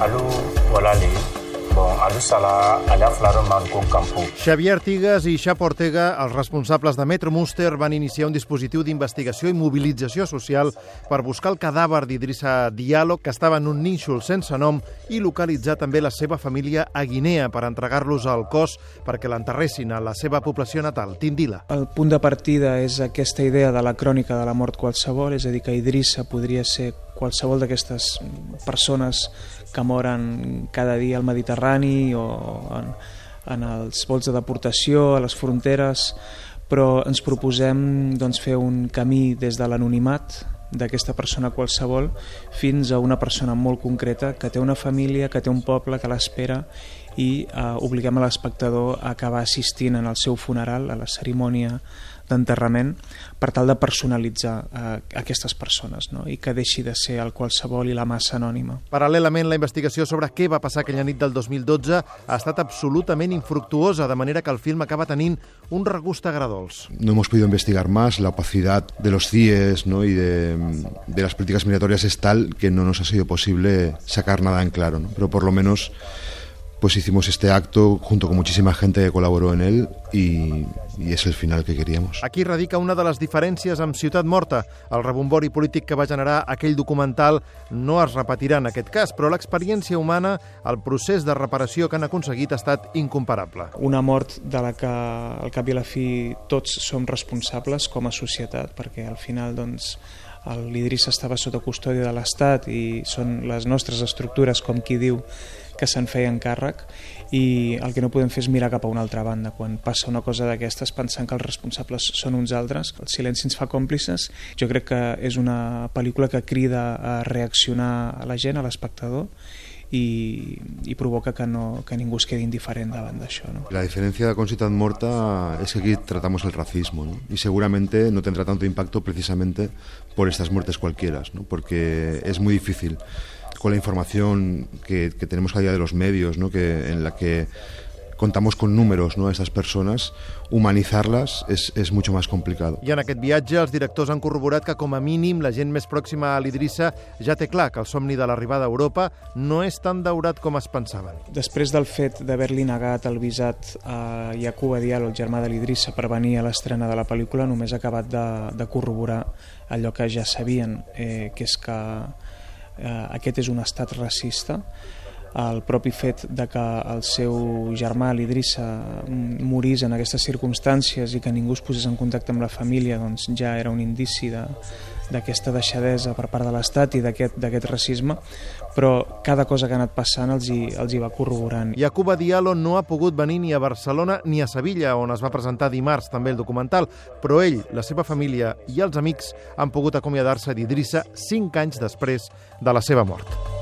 alu walale alu sala ala flaro manco campo. Xavier Artigas i Xapo Ortega, els responsables de Metro Muster, van iniciar un dispositiu d'investigació i mobilització social per buscar el cadàver d'Idrissa Diallo, que estava en un nínxol sense nom, i localitzar també la seva família a Guinea per entregar-los al cos perquè l'enterressin a la seva població natal, Tindila. El punt de partida és aquesta idea de la crònica de la mort qualsevol, és a dir, que Idrissa podria ser qualsevol d'aquestes persones que moren cada dia al Mediterrani o en els vols de deportació, a les fronteres, però ens proposem fer un camí des de l'anonimat d'aquesta persona qualsevol fins a una persona molt concreta que té una família, que té un poble, que l'espera, i obliguem a l'espectador a acabar assistint en el seu funeral, a la cerimònia d'enterrament, per tal de personalitzar aquestes persones, no? I que deixi de ser el qualsevol i la massa anònima. Paral·lelament, la investigació sobre què va passar aquella nit del 2012 ha estat absolutament infructuosa, de manera que el film acaba tenint un regust agredolç. No hemos podido investigar más, la opacidad de los CIEs, ¿no? y de las políticas migratorias es tal que no nos ha sido posible sacar nada en claro, ¿no? Pero por lo menos pues hicimos este acto junto con muchísima gente que colaboró en él y és el final que queríamos. Aquí radica una de les diferències amb Ciutat Morta. El rebombori polític que va generar aquell documental no es repetirà en aquest cas, però l'experiència humana, el procés de reparació que han aconseguit ha estat incomparable. Una mort de la que al cap i a la fi tots som responsables com a societat, perquè al final l'Idrissa estava sota custòdia de l'Estat i són les nostres estructures, com qui diu, que se'n feien càrrec, i el que no podem fer és mirar cap a una altra banda quan passa una cosa d'aquestes pensant que els responsables són uns altres. El silenci ens fa còmplices. Jo crec que és una pel·lícula que crida a reaccionar a la gent, a l'espectador, i provoca que ningú es quedi indiferent davant d'això, ¿no? La diferencia con Ciutat Morta es que aquí tratamos el racismo, ¿no? Y seguramente no tendrá tanto impacto precisamente por estas muertes cualquiera, ¿no? Porque es muy difícil con la información que tenemos cada día de los medios, ¿no? En la que contamos con números, ¿no? A estas personas, humanizarlas es mucho más complicado. I en aquest viatge els directors han corroborat que com a mínim la gent més pròxima a l'Idrissa ja té clar que el somni de l'arribada a Europa no és tan daurat com es pensaven. Després del fet d'haver-li negat el visat a Yacouba Diallo, el germà de l'Idrissa, per venir a l'estrena de la pel·lícula, només ha acabat de corroborar allò que ja sabien, que és que aquest és un estat racista. El propi fet de que el seu germà, l'Idrissa, morís en aquestes circumstàncies i que ningú es posés en contacte amb la família, doncs ja era un indici d'aquesta deixadesa per part de l'Estat i d'aquest racisme, però cada cosa que ha anat passant els hi va corroborant. Yacouba Diallo no ha pogut venir ni a Barcelona ni a Sevilla, on es va presentar dimarts també el documental, però ell, la seva família i els amics han pogut acomiadar-se d'Idrissa 5 anys després de la seva mort.